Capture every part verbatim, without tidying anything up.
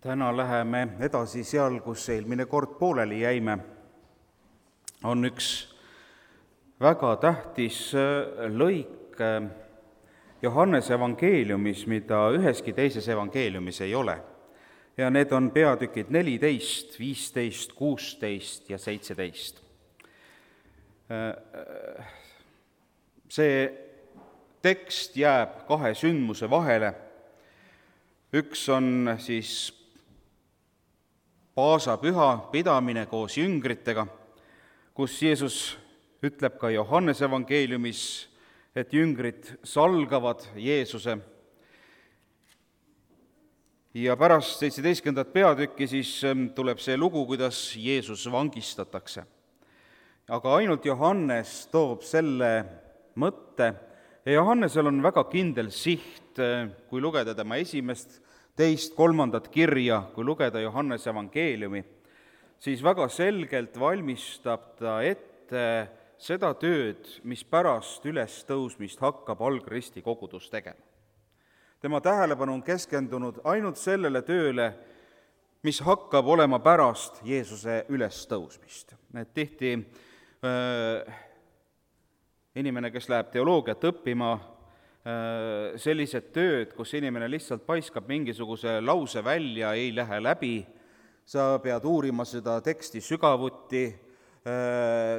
Täna läheme edasi seal, kus eelmine kord pooleli jäime. On üks väga tähtis lõik Johannese evangeeliumis, mida üheski teises evangeeliumis ei ole. Ja need on peatükid neliteist, viisteist, kuusteist ja seitseteist. See tekst jääb kahe sündmuse vahele. Üks on siis paasapüha pidamine koos jüngritega, kus Jeesus ütleb ka Johannese evangeeliumis, et jüngrid salgavad Jeesuse. Ja pärast seitseteistkümnendat peatükki siis tuleb see lugu, kuidas Jeesus vangistatakse. Aga ainult Johannes toob selle mõtte, ja Johannesel on väga kindel siht, kui lugeda tema esimest, teist, kolmandat kirja, kui lugeda Johannese evangeeliumi, siis väga selgelt valmistab ta ette seda tööd, mis pärast ülestõusmist hakkab algristi kogudus tegema. Tema tähelepanu on keskendunud ainult sellele tööle, mis hakkab olema pärast Jeesuse ülestõusmist. Et tihti äh, inimene, kes läheb teoloogiat õppima, sellised tööd, kus inimene lihtsalt paiskab mingisuguse lause välja, ei lähe läbi, sa pead uurima seda teksti sügavuti,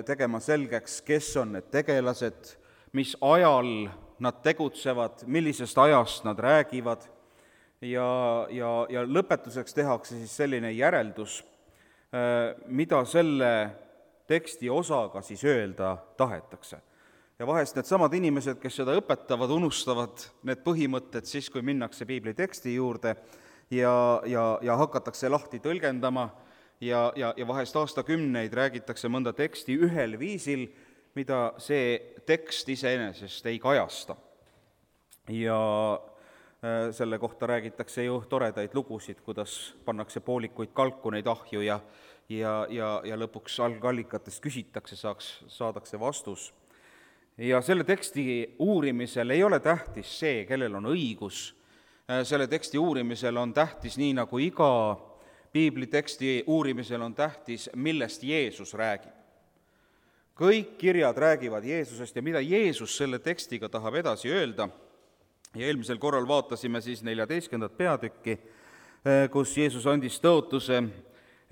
tegema selgeks, kes on need tegelased, mis ajal nad tegutsevad, millisest ajast nad räägivad, ja, ja, ja lõpetuseks tehakse siis selline järeldus, mida selle teksti osaga siis öelda tahetakse. Ja vahest need samad inimesed, kes seda õpetavad, unustavad need põhimõtted siis, kui minnakse piibli teksti juurde ja, ja, ja hakatakse lahti tõlgendama ja, ja, ja vahest aastakümneid räägitakse mõnda teksti ühel viisil, mida see tekst iseenesest ei kajasta. Ja selle kohta räägitakse ju toredaid lugusid, kuidas pannakse poolikuid kalkuneid ahju ja, ja, ja, ja lõpuks algallikatest küsitakse, saaks, saadakse vastus. Ja selle teksti uurimisel ei ole tähtis see, kellel on õigus. Selle teksti uurimisel on tähtis, nii nagu iga piibliteksti uurimisel on tähtis, millest Jeesus räägib. Kõik kirjad räägivad Jeesusest ja mida Jeesus selle tekstiga tahab edasi öelda. Ja eelmisel korral vaatasime siis neljateistkümnendat peatükki, kus Jeesus andis tõotuse,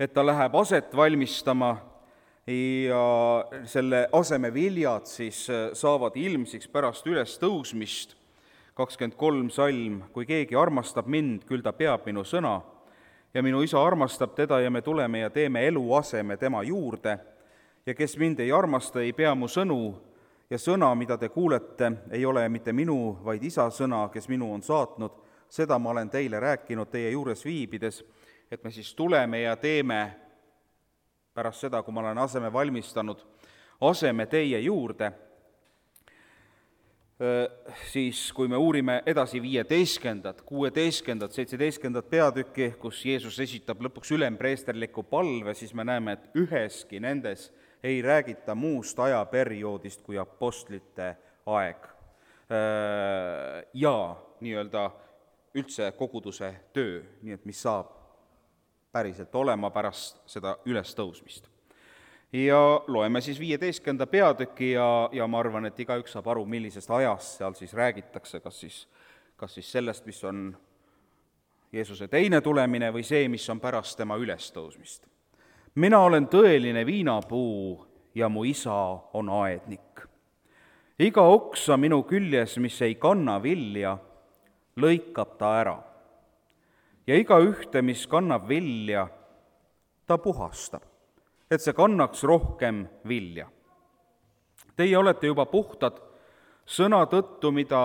et ta läheb aset valmistama ja selle aseme viljad siis saavad ilmsiks pärast ülestõusmist. kakskümmend kolm salm, kui keegi armastab mind, küll ta peab minu sõna ja minu isa armastab teda ja me tuleme ja teeme eluaseme tema juurde ja kes mind ei armasta, ei pea mu sõnu ja sõna, mida te kuulete, ei ole mitte minu, vaid isa sõna, kes minu on saatnud. Seda ma olen teile rääkinud teie juures viibides, et me siis tuleme ja teeme pärast seda, kui ma olen aseme valmistanud, aseme teie juurde, siis kui me uurime edasi viieteistkümnendat, kuueteistkümnendat, seitseteistkümnendat peatükki, kus Jeesus esitab lõpuks ülempreesterliku palve, siis me näeme, et üheski nendes ei räägita muust ajaperioodist kui apostlite aeg ja nii-öelda üldse koguduse töö, nii et mis saab päriselt olema pärast seda ülestõusmist. Ja loeme siis viieteistkümnenda peatüki ja, ja ma arvan, et igaüks saab aru, millisest ajast seal siis räägitakse, kas siis, kas siis sellest, mis on Jeesuse teine tulemine või see, mis on pärast tema ülestõusmist. Mina olen tõeline viinapuu ja mu isa on aednik. Iga oksa minu küljes, mis ei kanna vilja, lõikab ta ära. Ja iga ühte, mis kannab vilja, ta puhastab, et see kannaks rohkem vilja. Teie olete juba puhtad sõna tõttu, mida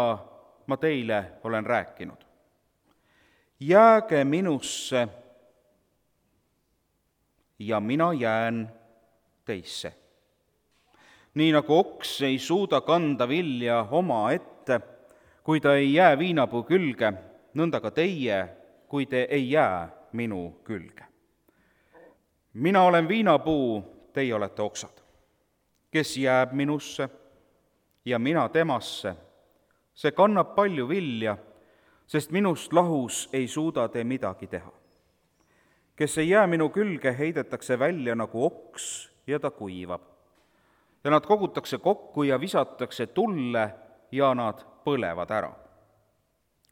ma teile olen rääkinud. Jääge minusse ja mina jään teisse. Nii nagu oks ei suuda kanda vilja oma ette, kui ta ei jää viinapuu külge, nõnda ka teie, kui te ei jää minu külge. Mina olen viinapuu, teie olete oksad. Kes jääb minusse ja mina temasse, see kannab palju vilja, sest minust lahus ei suuda te midagi teha. kes ei jää minu külge, heidetakse välja nagu oks ja ta kuivab. Ja nad kogutakse kokku ja visatakse tulle ja nad põlevad ära.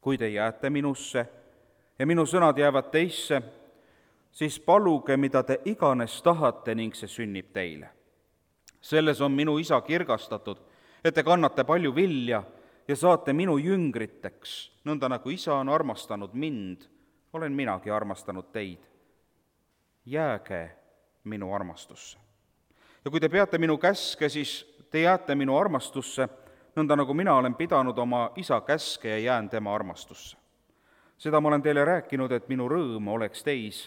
Kui te jääte minusse ja minu sõnad jäävad teisse, siis paluge, mida te iganes tahate ning see sünnib teile. Selles on minu isa kirgastatud, et te kannate palju vilja ja saate minu jüngriteks, nõnda nagu isa on armastanud mind, olen minagi armastanud teid. Jääge minu armastusse. Ja kui te peate minu käske, siis te jääte minu armastusse, nõnda nagu mina olen pidanud oma isa käske ja jään tema armastusse. Seda ma olen teile rääkinud, et minu rõõm oleks teis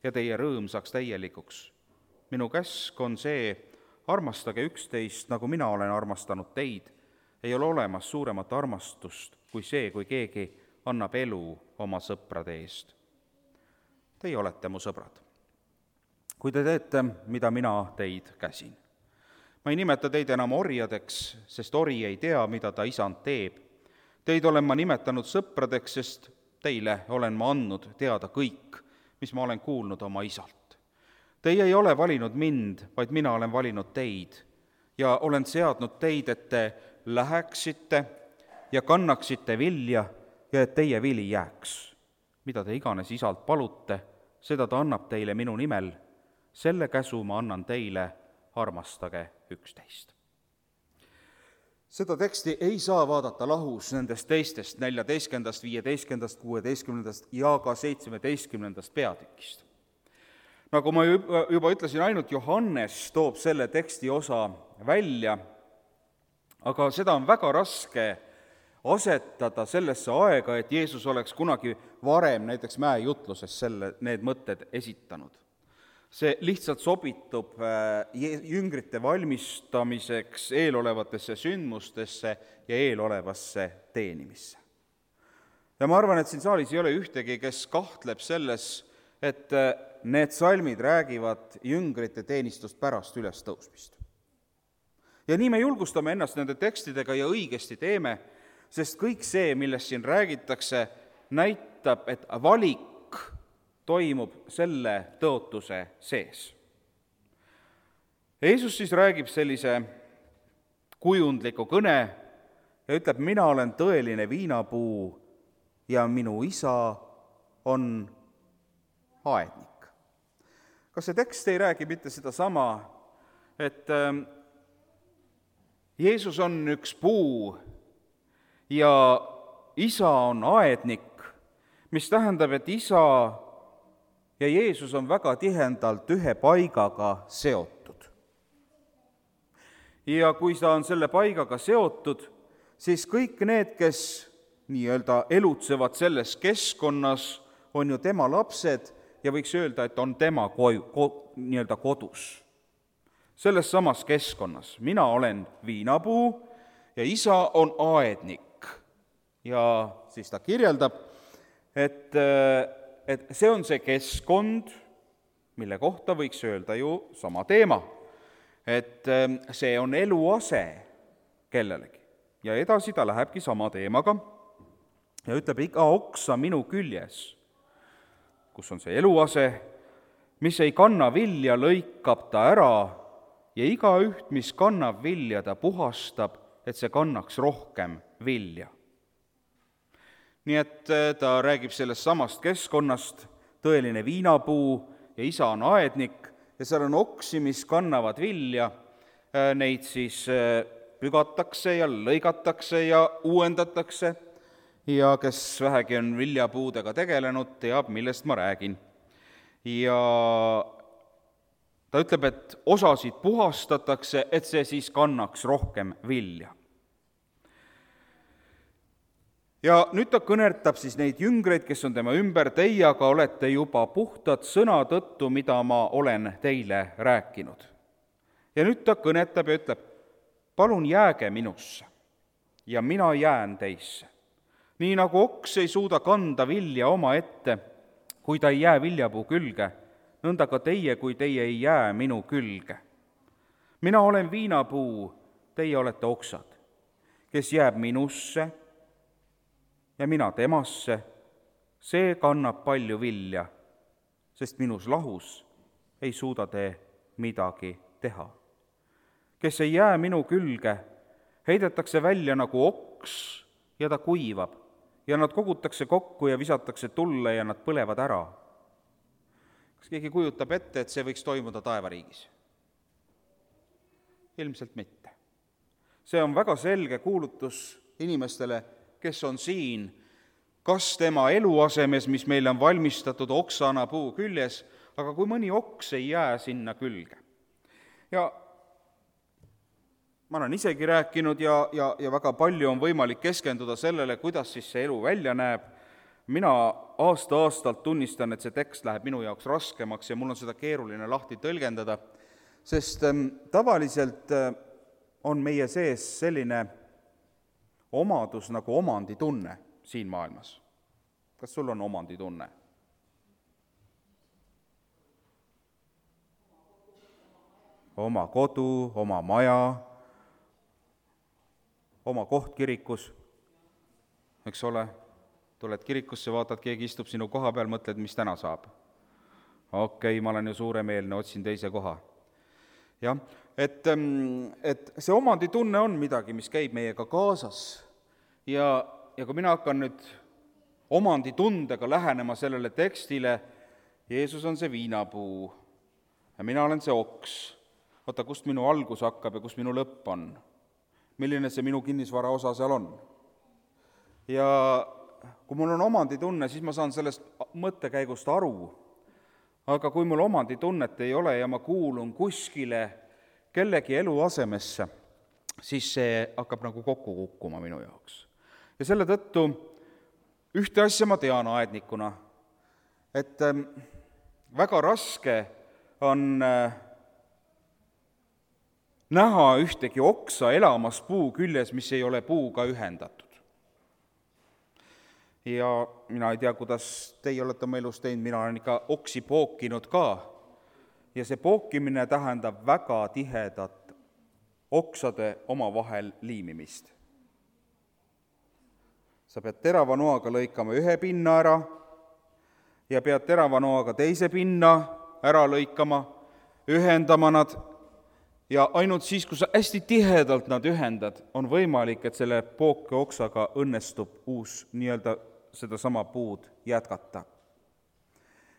ja teie rõõm saaks täielikuks. Minu käsk on see, armastage üksteist, nagu mina olen armastanud teid. Ei ole olemas suuremat armastust kui see, kui keegi annab elu oma sõprade eest. Teie olete mu sõbrad, kui te teete, mida mina teid käsin. Ma ei nimeta teid enam orjadeks, sest ori ei tea, mida ta isand teeb. Teid olen ma nimetanud sõpradeks, sest teile olen ma andnud teada kõik, mis ma olen kuulnud oma isalt. Teie ei ole valinud mind, vaid mina olen valinud teid ja olen seadnud teid, et te läheksite ja kannaksite vilja ja et teie vili jääks. Mida te iganes isalt palute, seda ta annab teile minu nimel. Selle käsu ma annan teile, armastage üksteist. Seda teksti ei saa vaadata lahus nendest teistest neljateistkümnendast, viieteistkümnendast, kuueteistkümnendast ja ka seitsmeteistkümnendast peatükist. Nagu ma juba ütlesin, ainult Johannes toob selle teksti osa välja, aga seda on väga raske asetada sellesse aega, et Jeesus oleks kunagi varem näiteks mäejutluses selle, need mõtted esitanud. See lihtsalt sobitub jüngrite valmistamiseks eelolevatesse sündmustesse ja eelolevasse teenimisse. Ja ma arvan, et siin saalis ei ole ühtegi, kes kahtleb selles, et need salmid räägivad jüngrite teenistust pärast ülestõusmist. Ja nii me julgustame ennast nende tekstidega ja õigesti teeme, sest kõik see, millest siin räägitakse, näitab, et valik toimub selle tõotuse sees. Jeesus siis räägib sellise kujundliku kõne ja ütleb, mina olen tõeline viinapuu ja minu isa on aednik. Kas see tekst ei räägi mitte seda sama, et Jeesus on üks puu ja isa on aednik, mis tähendab, et isa ja Jeesus on väga tihendalt ühe paigaga seotud. Ja kui ta on selle paigaga seotud, siis kõik need, kes nii-öelda elutsevad selles keskkonnas, on ju tema lapsed ja võiks öelda, et on tema koju, ko, nii-öelda kodus. Selles samas keskkonnas. Mina olen viinapuu ja isa on aednik. Ja siis ta kirjeldab, et et see on see keskkond, mille kohta võiks öelda ju sama teema. Et see on eluase kellelegi. Ja edasi ta lähebki sama teemaga ja ütleb, iga oksa minu küljes, kus on see eluase, mis ei kanna vilja, lõikab ta ära ja iga üht, mis kannab vilja, ta puhastab, et see kannaks rohkem vilja. Nii et ta räägib sellest samast keskkonnast, tõeline viinapuu ja isa on aednik ja seal on oksi, mis kannavad vilja, neid siis pügatakse ja lõigatakse ja uuendatakse ja kes vähegi on viljapuudega tegelenud, teab, millest ma räägin. Ja ta ütleb, et osasid puhastatakse, et see siis kannaks rohkem vilja. Ja nüüd ta kõnertab siis neid jüngreid, kes on tema ümber, teie aga olete juba puhtad sõna tõttu, mida ma olen teile rääkinud. Ja nüüd ta kõnetab ja ütleb, palun jääge minusse ja mina jään teisse. Nii nagu oks ei suuda kanda vilja oma ette, kui ta ei jää viljapuu külge, nõnda ka teie, kui teie ei jää minu külge. Mina olen viinapuu, teie olete oksad, kes jääb minusse ja mina temasse, see kannab palju vilja, sest minus lahus ei suuda te midagi teha. Kes ei jää minu külge, heidetakse välja nagu oks ja ta kuivab ja nad kogutakse kokku ja visatakse tulle ja nad põlevad ära. Kas keegi kujutab ette, et see võiks toimuda taevariigis? Ilmselt mitte. See on väga selge kuulutus inimestele, kes on siin, kas tema eluasemes, mis meile on valmistatud oksana puu küljes, aga kui mõni oks ei jää sinna külge. Ja ma olen isegi rääkinud ja, ja, ja väga palju on võimalik keskenduda sellele, kuidas siis see elu välja näeb. Mina aasta-aastalt tunnistan, et see tekst läheb minu jaoks raskemaks ja mul on seda keeruline lahti tõlgendada, sest ähm, tavaliselt äh, on meie sees selline omadus nagu omanditunne siin maailmas. Kas sul on omanditunne? Oma kodu, oma maja, oma koht kirikus, eks ole, tuled kirikusse, vaatad, keegi istub sinu koha peal, mõtled, mis täna saab. Okei, ma olen ju suuremeelne, otsin teise koha. Jah, et, et see omanditunne on midagi, mis käib meiega kaasas ja, ja kui mina hakkan nüüd omanditundega lähenema sellele tekstile, Jeesus on see viinapuu ja mina olen see oks, oota, kust minu algus hakkab ja kust minu lõpp on, milline see minu kinnisvara osa seal on. Ja kui mul on omanditunne, siis ma saan sellest mõttekäigust aru, aga kui mul omanditunnet ei ole ja ma kuulun kuskile kellegi eluasemesse, siis see hakkab nagu kokku kukkuma minu jaoks. Ja selle tõttu ühte asja ma tean aednikuna, et väga raske on näha ühtegi oksa elamas puu küljes, mis ei ole puuga ühendatud. Ja mina ei tea, kuidas teie olete oma elus teinud, mina olen ikka oksi pookinud ka. Ja see pookimine tähendab väga tihedat oksade omavahel liimimist. Sa pead terava noaga lõikama ühe pinna ära ja pead terava noaga teise pinna ära lõikama, ühendama nad ja ainult siis, kui sa hästi tihedalt nad ühendad, on võimalik, et selle pooke oksaga õnnestub uus nii-öelda sedasama puud jätkata.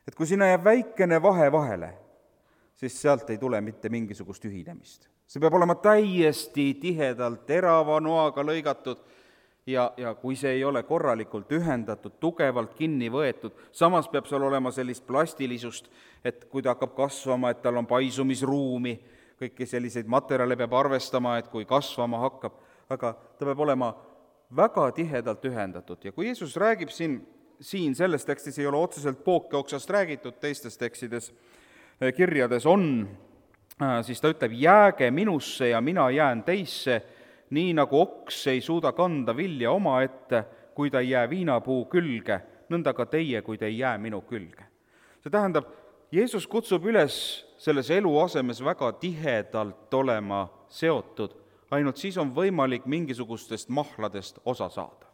Et kui sinna jääb väikene vahe vahele, siis sealt ei tule mitte mingisugust ühinemist. See peab olema täiesti tihedalt terava noaga lõigatud ja, ja kui see ei ole korralikult ühendatud, tugevalt kinni võetud, samas peab seal olema sellist plastilisust, et kui ta hakkab kasvama, et tal on paisumisruumi, kõiki selliseid materjale peab arvestama, et kui kasvama hakkab, aga ta peab olema väga tihedalt ühendatud. Ja kui Jeesus räägib siin, siin selles tekstis ei ole otseselt pookeoksast räägitud, teistes tekstides, kirjades on, siis ta ütleb, jääge minusse ja mina jään teisse, nii nagu oks ei suuda kanda vilja oma ette, kui ta ei jää viinapuu külge, nõnda ka teie, kui te ei jää minu külge. See tähendab, Jeesus kutsub üles selles eluasemes väga tihedalt olema seotud, ainult siis on võimalik mingisugustest mahladest osa saada.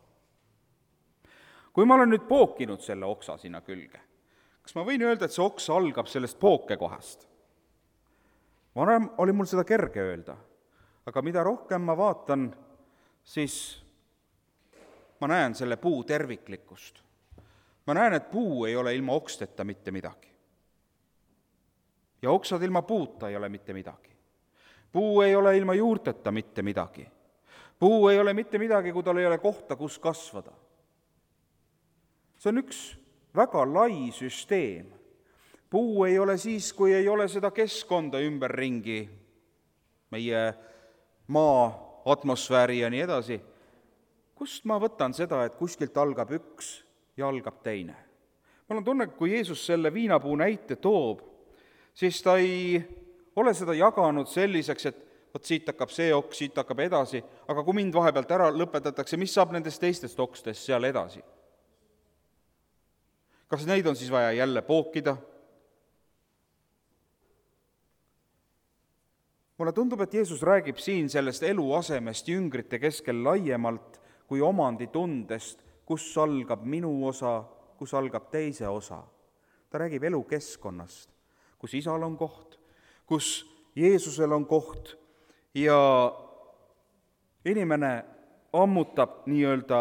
Kui ma olen nüüd pookinud selle oksa sinna külge, kas ma võin öelda, et see oks algab sellest pookekohast? Varem oli mul seda kerge öelda, aga mida rohkem ma vaatan, siis ma näen selle puu terviklikkust. Ma näen, et puu ei ole ilma oksteta mitte midagi. Ja oksad ilma puuta ei ole mitte midagi. Puu ei ole ilma juurteta mitte midagi. Puu ei ole mitte midagi, kui tal ei ole kohta, kus kasvada. See on üks väga lai süsteem. Puu ei ole siis, kui ei ole seda keskkonda ümberringi, meie maa, atmosfääri ja nii edasi. Kust ma võtan seda, et kuskilt algab üks ja algab teine? Mul on tunne, kui Jeesus selle viinapuu näite toob, siis ta ei ole seda jaganud selliseks, et võt siit hakkab see oks, siit hakkab edasi, aga kui mind vahepealt ära lõpetatakse, mis saab nendest teistest okstest seal edasi? Kas neid on siis vaja jälle pookida? Mulle tundub, et Jeesus räägib siin sellest eluasemest jüngrite keskel laiemalt kui omanditundest, kus algab minu osa, kus algab teise osa. Ta ta räägib elukeskkonnast, kus isal on koht, kus Jeesusel on koht ja inimene ammutab nii-öelda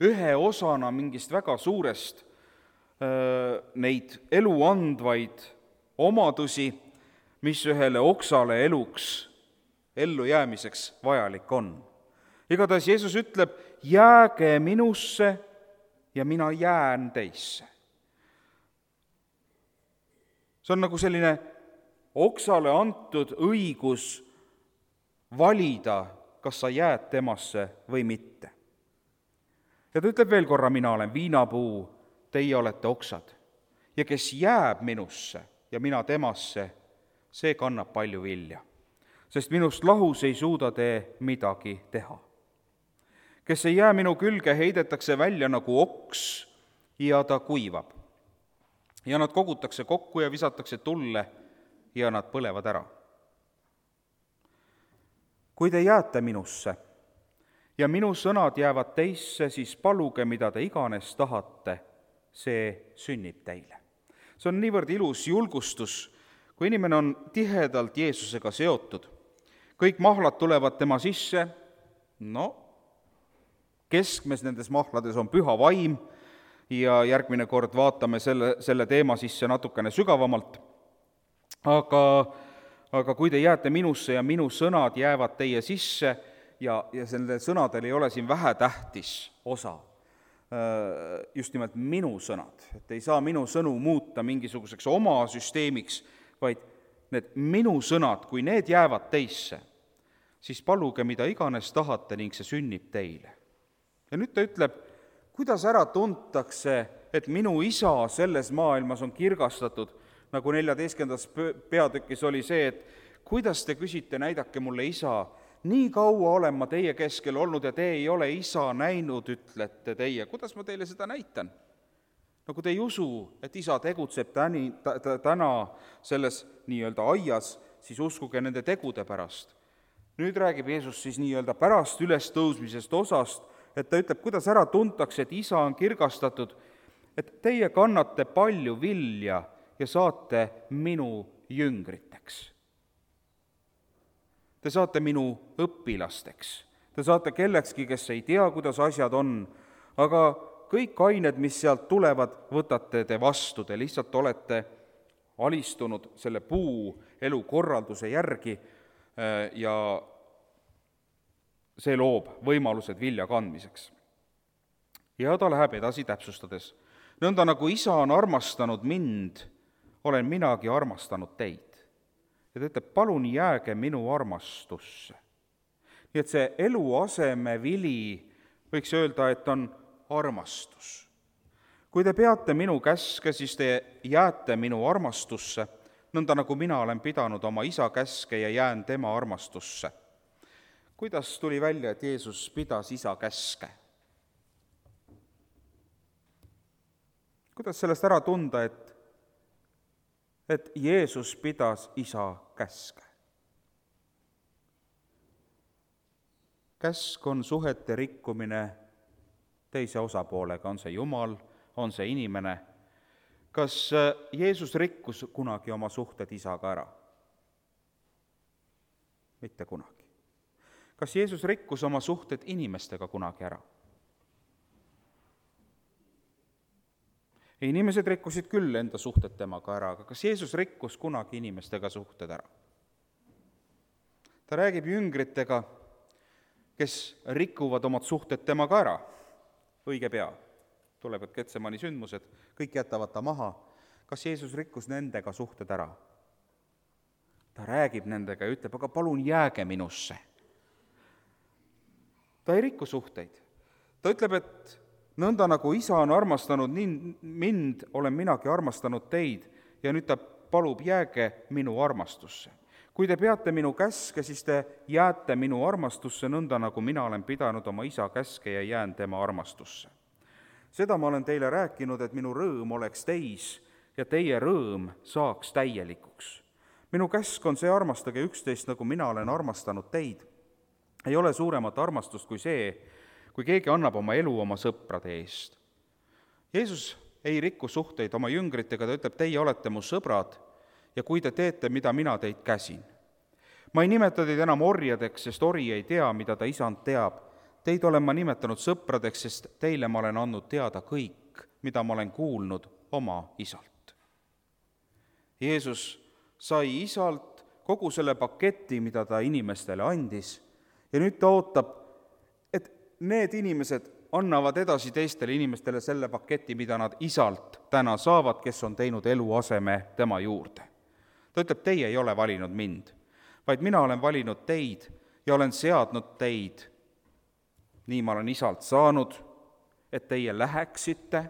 ühe osana mingist väga suurest öö, neid elu andvaid omadusi, mis ühele oksale eluks, ellujäämiseks vajalik on. Igatahes Jeesus ütleb, jääge minusse ja mina jään teisse. See on nagu selline oksale antud õigus valida, kas sa jääd temasse või mitte. Ja ta ütleb veel korra, mina olen viinapuu, teie olete oksad. Ja kes jääb minusse ja mina temasse, see kannab palju vilja. Sest minust lahus ei suuda te midagi teha. Kes ei jää minu külge, heidetakse välja nagu oks ja ta kuivab. Ja nad kogutakse kokku ja visatakse tulle ja nad põlevad ära. Kui te jääte minusse ja minu sõnad jäävad teisse, siis paluge, mida te iganes tahate, see sünnib teile. See on niivõrd ilus julgustus, kui inimene on tihedalt Jeesusega seotud. Kõik mahlad tulevad tema sisse, no keskmes nendes mahlades on püha vaim ja järgmine kord vaatame selle, selle teema sisse natukene sügavamalt. Aga, aga kui te jääte minusse ja minu sõnad jäävad teie sisse ja, ja selle sõnadel ei ole siin vähetähtis osa, just nimelt minu sõnad, et ei saa minu sõnu muuta mingisuguseks oma süsteemiks, vaid need minu sõnad, kui need jäävad teisse, siis paluge, mida iganes tahate ning see sünnib teile. Ja nüüd ta ütleb, kuidas ära tuntakse, et minu isa selles maailmas on kirgastatud, nagu neljateistkümnendas peatükis oli see, et kuidas te küsite, näidake mulle isa, nii kaua olen ma teie keskel olnud ja te ei ole isa näinud, ütlete teie. Kuidas ma teile seda näitan? No kui te ei usu, et isa tegutseb täni, t- t- täna selles nii-öelda aias, siis uskuge nende tegude pärast. Nüüd räägib Jeesus siis nii-öelda pärast ülestõusmisest osast, et ta ütleb, kuidas ära tuntakse, et isa on kirgastatud, et teie kannate palju vilja ja saate minu jüngriteks. Te saate minu õpilasteks. Te saate kellekski, kes ei tea, kuidas asjad on, aga kõik ained, mis sealt tulevad, võtate te vastu. Te lihtsalt olete alistunud selle puu elukorralduse järgi ja see loob võimalused vilja kandmiseks. Ja ta läheb edasi täpsustades. Nõnda nagu isa on armastanud mind, olen minagi armastanud teid. Ja ta ütleb, palun jääge minu armastusse. Nii et see eluaseme vili, võiks öelda, et on armastus. Kui te peate minu käske, siis te jääte minu armastusse, nõnda nagu mina olen pidanud oma isa käske ja jään tema armastusse. Kuidas tuli välja, et Jeesus pidas isa käske? Kuidas sellest ära tunda, et et Jeesus pidas isa käske? Käsk on suhete rikkumine teise osapoolega, on see Jumal, on see inimene. Kas Jeesus rikkus kunagi oma suhted isaga ära? Mitte kunagi. Kas Jeesus rikkus oma suhted inimestega kunagi ära? Inimesed rikkusid küll enda suhted temaga ära, aga kas Jeesus rikkus kunagi inimestega suhted ära? Ta räägib jüngritega, kes rikuvad omad suhted temaga ära. Õige pea tulevad Getsemani sündmused, kõik jätavad ta maha. Kas Jeesus rikkus nendega suhted ära? Ta räägib nendega ja ütleb, aga palun jääge minusse. Ta ei rikku suhteid. Ta ütleb, et nõnda nagu isa on armastanud nii mind, olen minagi armastanud teid ja nüüd ta palub, jääge minu armastusse. Kui te peate minu käske, siis te jääte minu armastusse, nõnda nagu mina olen pidanud oma isa käske ja jään tema armastusse. Seda ma olen teile rääkinud, et minu rõõm oleks teis ja teie rõõm saaks täielikuks. Minu käsk on see, armastage üksteist, nagu mina olen armastanud teid. Ei ole suuremat armastust kui see, kui keegi annab oma elu oma sõprade eest. Jeesus ei riku suhteid oma jüngritega, ta ütleb, teie olete mu sõbrad ja kui te teete, mida mina teid käsin. Ma ei nimeta teid enam orjadeks, sest ori ei tea, mida ta isand teab. Teid olen ma nimetanud sõpradeks, sest teile ma olen andnud teada kõik, mida ma olen kuulnud oma isalt. Jeesus sai isalt kogu selle paketi, mida ta inimestele andis, ja nüüd ta ootab, et need inimesed annavad edasi teistele inimestele selle paketi, mida nad isalt täna saavad, kes on teinud eluaseme tema juurde. Ta ütleb, teie ei ole valinud mind, vaid mina olen valinud teid ja olen seadnud teid. Nii ma olen isalt saanud, et teie läheksite,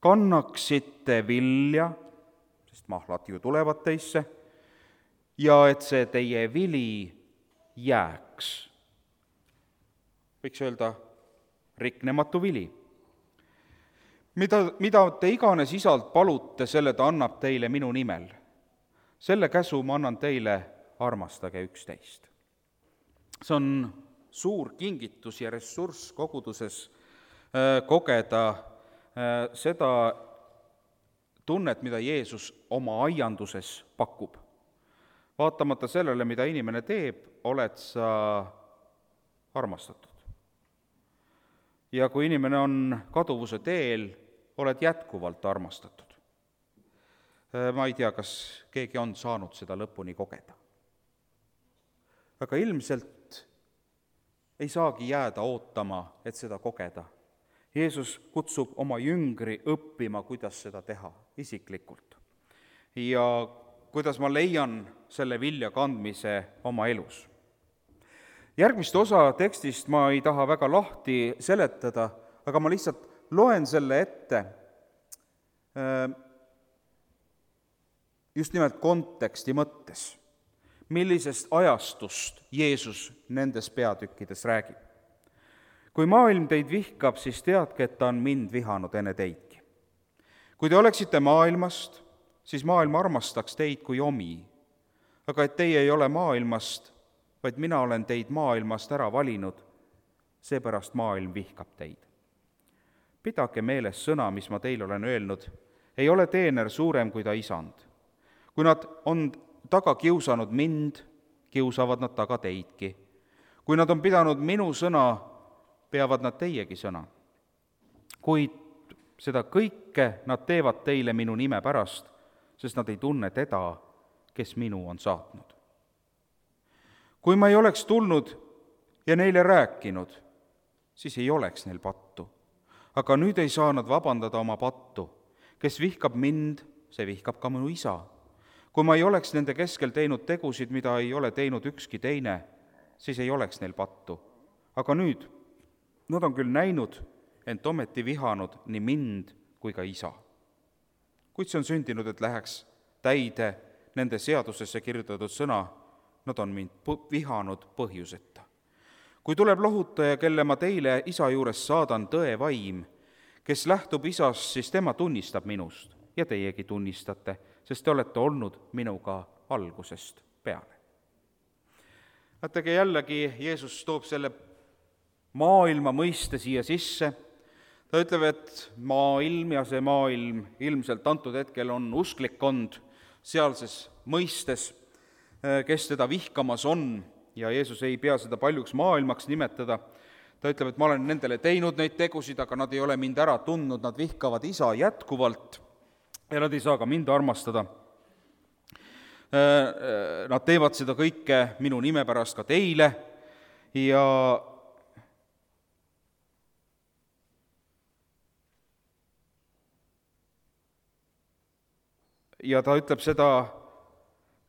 kannaksite vilja, sest mahlad ju tulevad teisse, ja et see teie vili jääks. Võiks öelda riknematu vili. Mida, mida te iganes isalt palute, selle ta annab teile minu nimel. Selle käsu ma annan teile, armastage üksteist. See on suur kingitus ja ressurss koguduses kogeda seda tunnet, mida Jeesus oma aianduses pakub. Vaatamata sellele, mida inimene teeb, oled sa armastatud. Ja kui inimene on kaduvuse teel, oled jätkuvalt armastatud. Ma ei tea, kas keegi on saanud seda lõpuni kogeda. Aga ilmselt ei saagi jääda ootama, et seda kogeda. Jeesus kutsub oma jüngri õppima, kuidas seda teha isiklikult. Ja kuidas ma leian selle vilja kandmise oma elus. Järgmist osa tekstist ma ei taha väga lahti seletada, aga ma lihtsalt loen selle ette just nimelt konteksti mõttes, millisest ajastust Jeesus nendes peatükkides räägib. Kui maailm teid vihkab, siis teadke, et ta on mind vihanud enne teidki. Kui te oleksite maailmast, siis maailm armastaks teid kui omi, aga et teie ei ole maailmast, vaid mina olen teid maailmast ära valinud, seepärast maailm vihkab teid. Pidage meeles sõna, mis ma teile olen öelnud, ei ole teener suurem kui ta isand. Kui nad on taga kiusanud mind, kiusavad nad taga teidki. Kui nad on pidanud minu sõna, peavad nad teiegi sõna. Kuid seda kõike nad teevad teile minu nime pärast, sest nad ei tunne teda, kes minu on saatnud. Kui ma ei oleks tulnud ja neile rääkinud, siis ei oleks neil pattu. Aga nüüd ei saa nad vabandada oma pattu. Kes vihkab mind, see vihkab ka minu isa. Kui ma ei oleks nende keskel teinud tegusid, mida ei ole teinud ükski teine, siis ei oleks neil pattu. Aga nüüd, nad on küll näinud, ent ometi vihanud nii mind kui ka isa. Kuid see on sündinud, et läheks täide nende seadusesse kirjutatud sõna, nad on mind vihanud põhjuseta. Kui tuleb lohutaja, kelle ma teile isa juures saadan, tõe vaim, kes lähtub isast, siis tema tunnistab minust ja teiegi tunnistate, sest te olete olnud minuga algusest peale. Vaatake jällegi, Jeesus toob selle maailma mõiste siia sisse. Ta ütleb, et maailm ja see maailm ilmselt antud hetkel on usklikkond sealses mõistes, kes teda vihkamas on, ja Jeesus ei pea seda paljuks maailmaks nimetada. Ta ütleb, et ma olen nendele teinud neid tegusid, aga nad ei ole mind ära tundnud, nad vihkavad isa jätkuvalt ja nad ei saa ka mind armastada. Nad teevad seda kõike minu nime pärast ka teile ja ja ta ütleb seda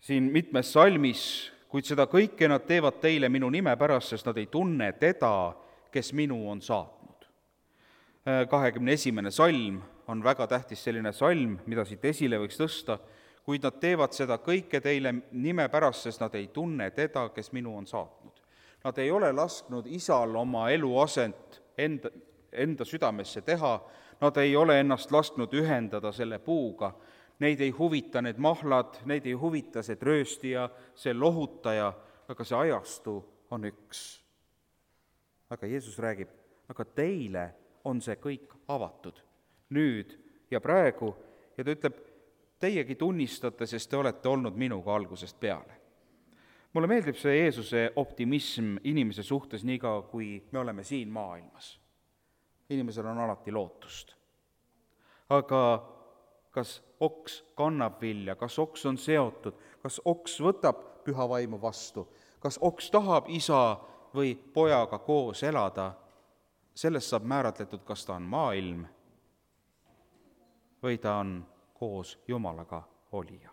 siin mitmes salmis, kuid seda kõike nad teevad teile minu nime pärast, sest nad ei tunne teda, kes minu on saatnud. kahekümne esimene salm on väga tähtis selline salm, mida siit esile võiks tõsta, kuid nad teevad seda kõike teile nime pärast, sest nad ei tunne teda, kes minu on saatnud. Nad ei ole lasknud isal oma eluasent enda, enda südamesse teha, nad ei ole ennast lasknud ühendada selle puuga. Neid ei huvita need mahlad, neid ei huvita see trööstija, see lohutaja, aga see ajastu on üks. Aga Jeesus räägib, aga teile on see kõik avatud. nüüd ja praegu ja ta ütleb, teiegi tunnistate, sest te olete olnud minuga algusest peale. Mulle meeldib see Jeesuse optimism inimese suhtes nii kaua, kui me oleme siin maailmas. Inimesel on alati lootust. Aga kas oks kannab vilja, kas oks on seotud, kas oks võtab püha vaimu vastu, kas oks tahab isa või pojaga koos elada, sellest saab määratletud, kas ta on maailm või ta on koos Jumalaga olija.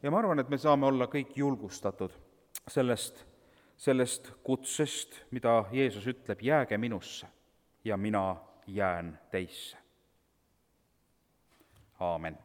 Ja ma arvan, et me saame olla kõik julgustatud sellest, sellest kutsest, mida Jeesus ütleb, jääge minusse ja mina jään teisse. Aamen.